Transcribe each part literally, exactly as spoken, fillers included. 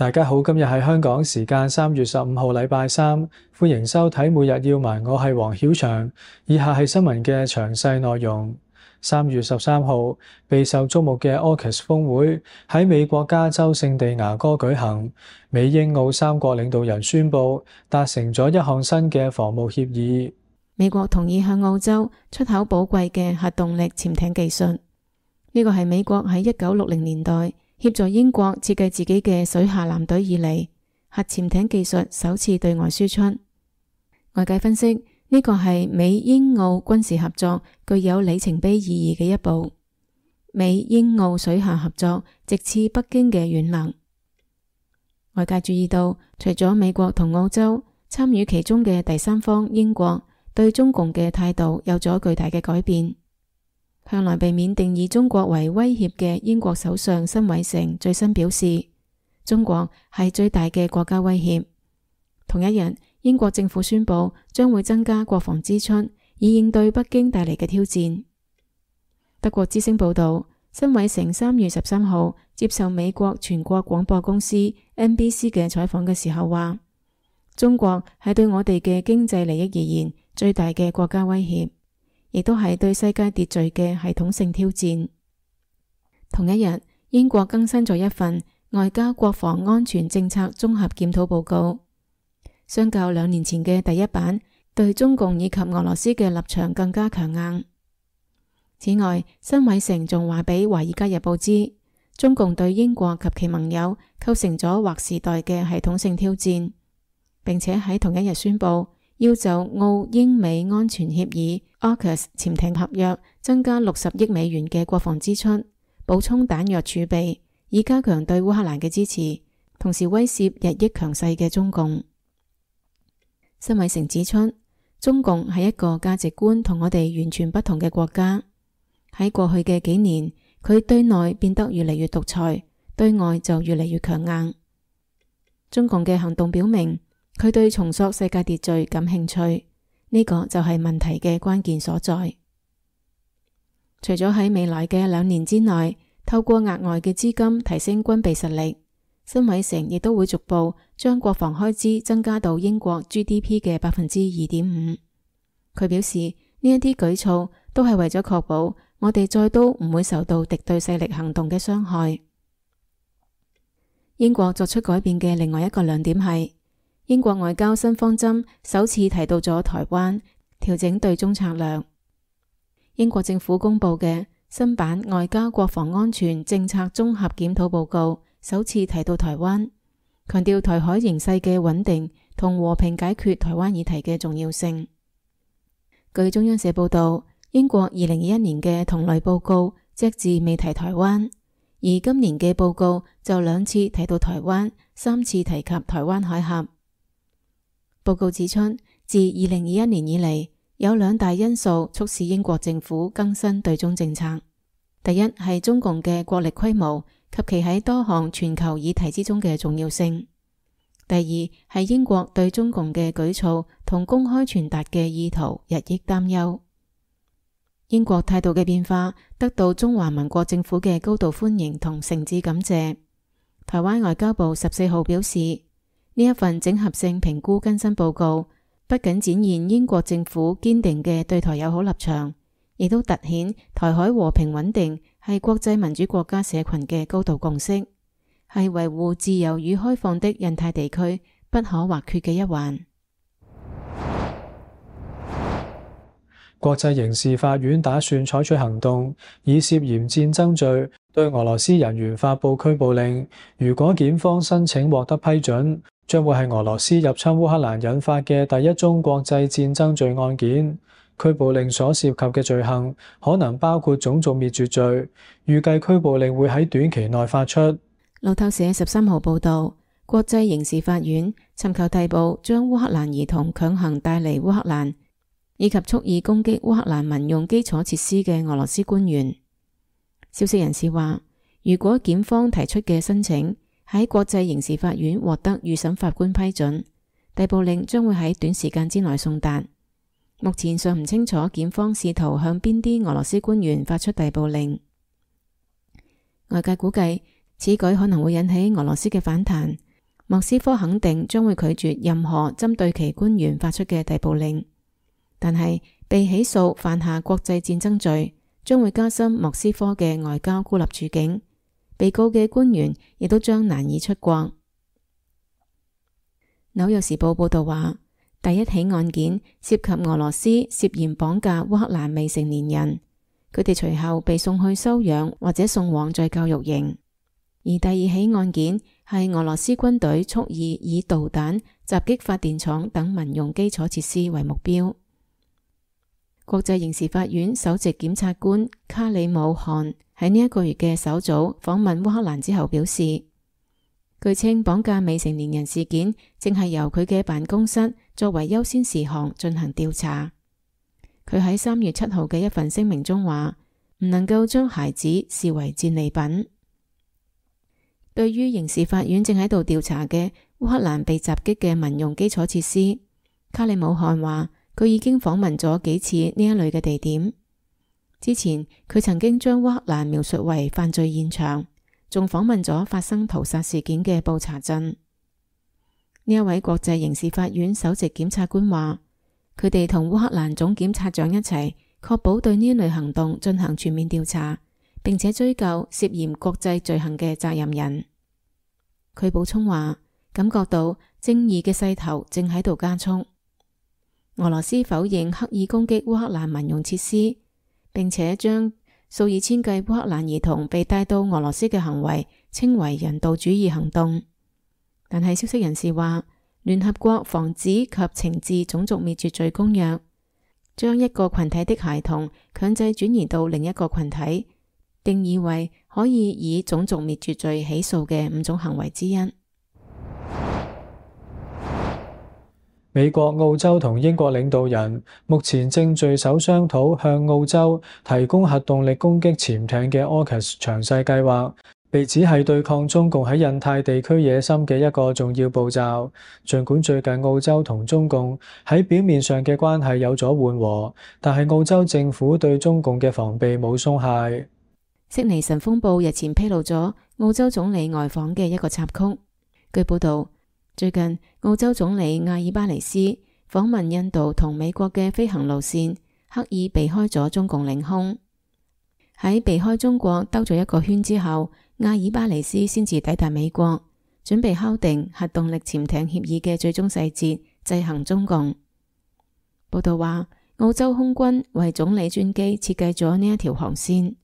大家好，今日係香港時間三月十五號禮拜三，歡迎收睇每日要聞，我係黃曉翔。以下係新聞嘅詳細內容。三月十三號，備受矚目嘅 AUKUS 峰會喺美國加州聖地牙哥舉行，美英澳三國領導人宣布達成咗一項新嘅防務協議。美國同意向澳洲出口寶貴嘅核動力潛艇技術，呢個係美國喺一九六零年代協助英國設計自己嘅水下艦隊以嚟，核潛艇技術首次對外輸出。外界分析，呢個係美英澳軍事合作具有里程碑意義嘅一步。美英澳水下合作直刺北京嘅軟肋。外界注意到，除咗美國同澳洲，參與其中嘅第三方英國對中共嘅態度有咗巨大嘅改變。向來被免定義中國為威脅嘅英國首相辛偉誠最新表示，中國係最大嘅國家威脅。同一日，英國政府宣布將會增加國防支出，以應對北京帶嚟嘅挑戰。德國之聲報道，辛偉誠三月十三號接受美國全國廣播公司 N B C 嘅採訪嘅時候話，中國係對我哋嘅經濟利益而言最大嘅國家威脅，亦都係對世界秩序嘅系統性挑戰。同一日，英國更新咗一份外交國防安全政策綜合檢討報告，相較兩年前嘅第一版，對中共以及俄羅斯嘅立場更加強硬。此外，辛偉誠仲話俾《華爾街日報》知，中共對英國及其盟友構成咗劃時代嘅系統性挑戰，並且喺同一日宣布要就澳英美安全協議 AUKUS 潛艇合約增加六十億美元嘅國防支出，補充彈藥儲備，以加強對烏克蘭嘅支持，同時威懾日益強勢嘅中共。辛偉誠指出，中共係一個價值觀同我哋完全不同嘅國家。喺過去嘅幾年，佢對內變得越嚟越獨裁，對外就越嚟越強硬。中共嘅行動表明，佢對重塑世界秩序感興趣，呢個就係問題嘅關鍵所在。除咗喺未來嘅兩年之內，透過額外嘅資金提升軍備實力，辛偉誠亦都會逐步將國防開支增加到英國 G D P 嘅百分之二點五。佢表示，呢一啲舉措都係為咗確保我哋再都唔會受到敵對勢力行動嘅傷害。英國作出改變嘅另外一個亮點係，英國外交新方針首次提到咗台灣，調整對中策略。英國政府公布嘅新版外交國防安全政策綜合檢討報告首次提到台灣，強調台海形勢嘅穩定同和平解決台灣議題嘅重要性。據中央社報道，英國二零二一年嘅同類報告隻字未提台灣，而今年嘅報告就兩次提到台灣，三次提及台灣海峽。報告指出，自二零二一年以嚟，有兩大因素促使英國政府更新對中政策。第一係中共嘅國力規模及其喺多項全球議題之中嘅重要性。第二係英國對中共嘅舉措同公開傳達嘅意圖日益擔憂。英國態度嘅變化得到中華民國政府嘅高度歡迎同誠摯感謝。台灣外交部十四號表示，呢一份整合性評估更新報告不僅展現英國政府堅定嘅對台友好立場，亦都凸顯台海和平穩定係國際民主國家社群嘅高度共識，係維護自由與開放的印太地區不可或缺嘅一環。國際刑事法院打算採取行動，以涉嫌戰爭罪對俄羅斯人員發布拘捕令。如果檢方申請獲得批准，將會係俄羅斯入侵烏克蘭引發嘅第一宗國際戰爭罪案件。拘捕令所涉及嘅罪行可能包括種族滅絕罪。預計拘捕令會喺短期內發出。路透社十三號報道，國際刑事法院尋求逮捕將烏克蘭兒童強行帶離烏克蘭，以及蓄意攻擊烏克蘭民用基礎設施嘅俄羅斯官員。消息人士話，如果檢方提出嘅申請喺國際刑事法院獲得預審法官批准，逮捕令將會喺短時間之內送達。目前尚唔清楚檢方試圖向邊啲俄羅斯官員發出逮捕令。外界估計，此舉可能會引起俄羅斯嘅反彈，莫斯科肯定將會拒絕任何針對其官員發出嘅逮捕令，但係被起訴犯下國際戰爭罪，將會加深莫斯科嘅外交孤立處境，被告嘅官員亦都將難以出國。紐約時報報道話，第一起案件涉及俄羅斯涉嫌綁架烏克蘭未成年人，佢哋隨後被送去收養或者送往再教育營。而第二起案件係俄羅斯軍隊蓄意以導彈襲擊發電廠等民用基礎設施為目標。國際刑事法院首席檢察官卡里姆汗喺呢一個月嘅首組訪問烏克蘭之後表示，據稱綁架未成年人事件正係由佢嘅辦公室作為優先事項進行調查。佢喺三月七號嘅一份聲明中話，唔能夠將孩子視為戰利品。對於刑事法院正喺度調查嘅烏克蘭被襲擊嘅民用基礎設施，卡里姆汗話佢已經訪問咗幾次呢一類嘅地點。之前佢曾經將烏克蘭描述為犯罪現場，仲訪問咗發生屠殺事件嘅布查鎮。呢一位國際刑事法院首席檢察官話，佢哋同烏克蘭總檢察長一齊確保對呢一類行動進行全面調查，並且追究涉嫌國際罪行嘅責任人。佢補充話，感覺到正義嘅勢頭正喺度加速。俄羅斯否認刻意攻擊烏克蘭民用設施，並且將數以千計烏克蘭兒童被帶到俄羅斯嘅行為稱為人道主義行動。但係消息人士話，聯合國防止及懲治種族滅絕罪公約將一個群體的孩童強制轉移到另一個群體，定義為可以以種族滅絕罪起訴嘅五種行為之一。美國、澳洲同英國領導人目前正聚首商討向澳洲提供核動力攻擊潛艇嘅 AUKUS 詳細計劃，被指係對抗中共喺印太地區野心嘅一個重要步驟。儘管最近澳洲同中共喺表面上嘅關係有咗緩和，但係澳洲政府對中共嘅防備冇鬆懈。悉尼晨鋒報日前披露咗澳洲總理外訪嘅一個插曲。據報道，最近澳洲總理阿爾巴尼斯訪問印度同美國嘅飛行路線，刻意避開咗中共領空。喺避開中國兜咗一個圈之後，阿爾巴尼斯先至抵達美國，準備敲定核動力潛艇協議嘅最終細節，制衡中共。報道話，澳洲空軍為總理專機設計咗呢一條航線。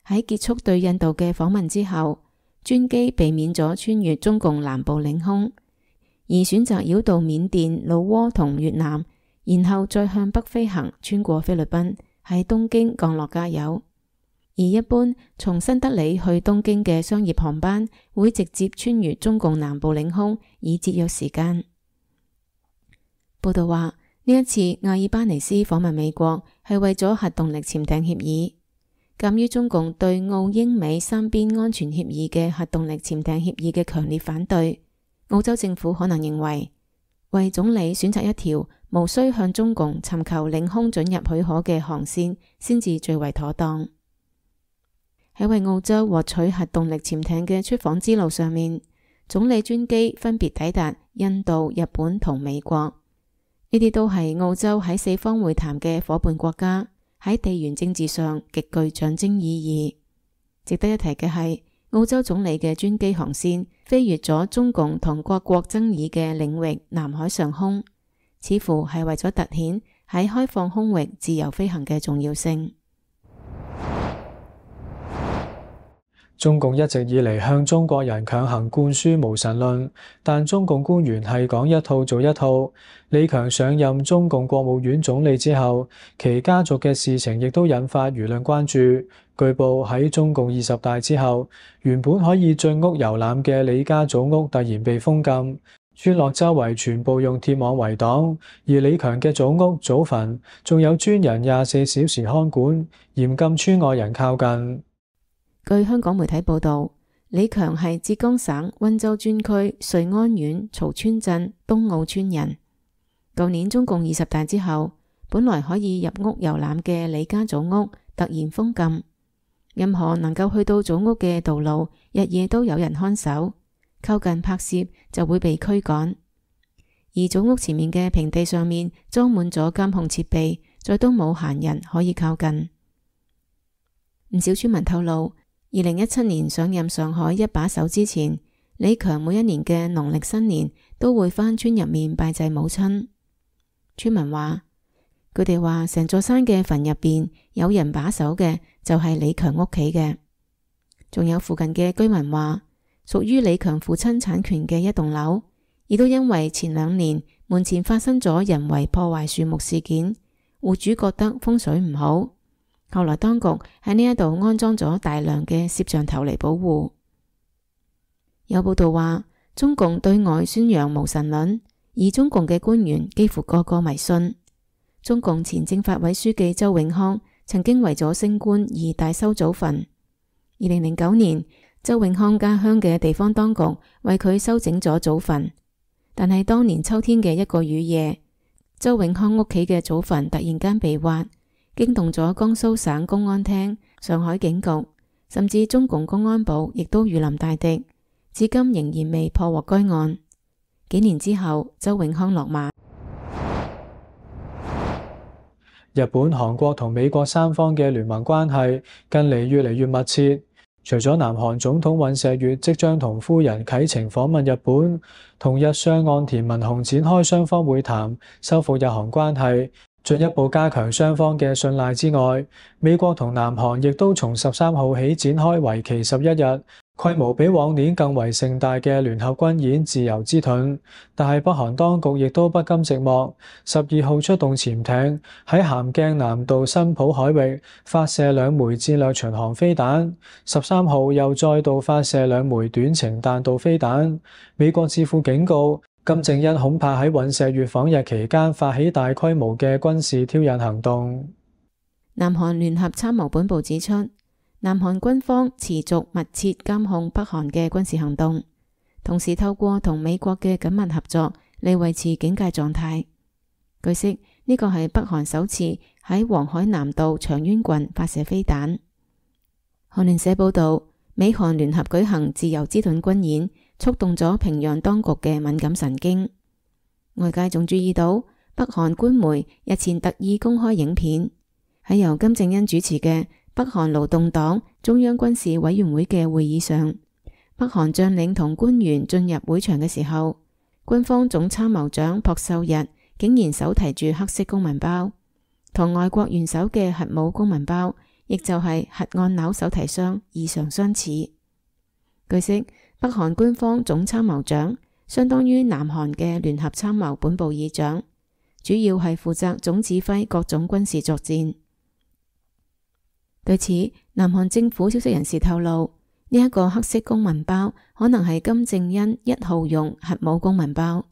喺結束對印度嘅訪問之後，專機避免咗穿越中共南部領空，而選擇繞道緬甸、老撾同越南，然後再向北飛行，穿過菲律賓，喺東京降落加油。而一般從新德里去東京嘅商業航班會直接穿越中共南部領空，以節約時間。報道話，呢一次阿爾巴尼斯訪問美國係為咗核動力潛艇協議。鑒於中共對澳英美三邊安全協議嘅核動力潛艇協議嘅強烈反對，澳洲政府可能認為，為總理選擇一條無需向中共尋求領空准入許可嘅航線，先至最為妥當。喺為澳洲獲取核動力潛艇嘅出訪之路上面，總理專機分別抵達印度、日本同美國，呢啲都係澳洲喺四方會談嘅夥伴國家，喺地緣政治上極具象徵意義。值得一提嘅係，澳洲總理嘅專機航線飛越咗中共同各國爭議嘅領域南海上空，似乎係為咗凸顯喺開放空域自由飛行嘅重要性。中共一直以嚟向中國人強行灌輸無神論，但中共官員係講一套做一套。李強上任中共國務院總理之後，其家族嘅事情亦都引發輿論關注。據報喺中共二十大之後，原本可以進屋遊覽嘅李家祖屋突然被封禁，村落周圍全部用鐵網圍擋，而李強嘅祖屋、祖墳仲有專人廿四小時看管，嚴禁村外人靠近。據香港媒體報道，李強係浙江省溫州專區瑞安縣曹村鎮東澳村人。舊年中共二十大之後，本來可以入屋遊覽嘅李家祖屋突然封禁，任何能夠去到祖屋嘅道路，日夜都有人看守，靠近拍攝就會被驅趕。而組屋前面嘅平地上面裝滿咗監控設備，再都冇閒人可以靠近。唔少村民透露，二零一七年上任上海一把手之前，李強每一年嘅農曆新年都會返村入面拜祭母親。村民話，佢哋話成座山嘅墳入邊有人把守嘅就係李強屋企嘅。仲有附近嘅居民話，屬於李強父親產權嘅一棟樓，亦都因為前兩年門前發生咗人為破壞樹木事件，戶主覺得風水唔好，後來當局喺呢一度安裝咗大量嘅攝像頭嚟保護。有報道話，中共對外宣揚無神論，而中共嘅官員幾乎個個迷信。中共前政法委書記周永康曾經為咗升官而大修祖墳。二零零九年，周永康家鄉嘅地方當局為佢修整咗祖墳，但係當年秋天嘅一個雨夜，周永康屋企嘅祖墳突然間被挖，驚動咗江蘇省公安廳、上海警局，甚至中共公安部亦都如臨大敵，至今仍然未破獲該案。幾年之後，周永康落馬。日本、韓國同美國三方嘅聯盟關係近嚟越嚟越密切。除咗南韓總統尹錫悅即將同夫人啟程訪問日本，同日相岸田文雄展開雙方會談，修復日韓關係，進一步加強雙方嘅信賴之外，美國同南韓亦都從十三號起展開為期十一日、規模比往年更為盛大嘅聯合軍演自由之盾。但係北韓當局亦都不甘寂寞，十二號出動潛艇喺咸鏡南道新浦海域發射兩枚戰略巡航飛彈，十三號又再度發射兩枚短程彈道飛彈。美國智庫警告，金正恩恐怕喺尹錫悅訪日期間發起大規模嘅軍事挑釁行動。南韓聯合參謀本部指出，南韓軍方持續密切監控北韓嘅軍事行動，同時透過同美國嘅緊密合作嚟維持警戒狀態。據悉，呢個係北韓首次喺黃海南道長淵郡發射飛彈。韓聯社報道，美韓聯合舉行自由之盾軍演，觸動咗平壤當局嘅敏感神經。外界仲注意到，北韓官媒日前特意公開影片，喺由金正恩主持嘅北韓勞動黨中央軍事委員會嘅會議上，北韓將領同官員進入會場嘅時候，軍方總參謀長朴秀日竟然手提住黑色公文包，同外國元首嘅核武公文包，亦就係核按鈕手提箱異常相似。據悉，北韓官方總參謀長相當於南韓嘅聯合參謀本部議長，主要係負責總指揮各種軍事作戰。對此，南韓政府消息人士透露，呢一個黑色公文包可能係金正恩一號用核武公文包，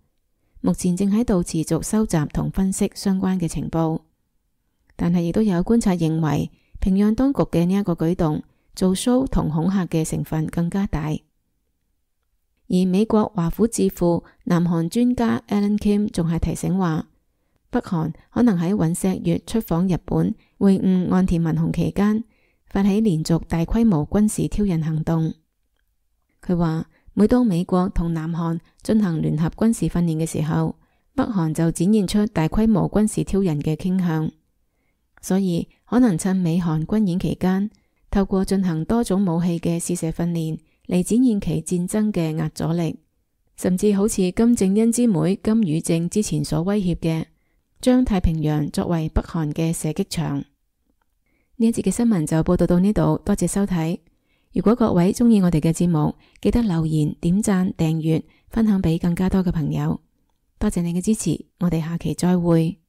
目前正喺度持續收集同分析相關嘅情報。但係亦都有觀察認為，平壤當局嘅呢一個舉動做 show 同恐嚇嘅成分更加大。而美國華府智庫南韓專家 Alan Kim 仲係提醒話，北韓可能喺尹錫悅出訪日本會晤岸田文雄期間發起連續大規模軍事挑釁行動。佢話，每當美國同南韓進行聯合軍事訓練嘅時候，北韓就展現出大規模軍事挑釁嘅傾向，所以可能趁美韓軍演期間，透過進行多種武器嘅試射訓練嚟展現其戰爭嘅壓阻力，甚至好似金正恩之妹金與正之前所威脅嘅，將太平洋作為北韓嘅射擊場。呢一節嘅新聞就報道到呢度，多謝收睇。如果各位中意我哋嘅節目，記得留言、點讚、訂閱、分享俾更加多嘅朋友。多謝你嘅支持，我哋下期再會。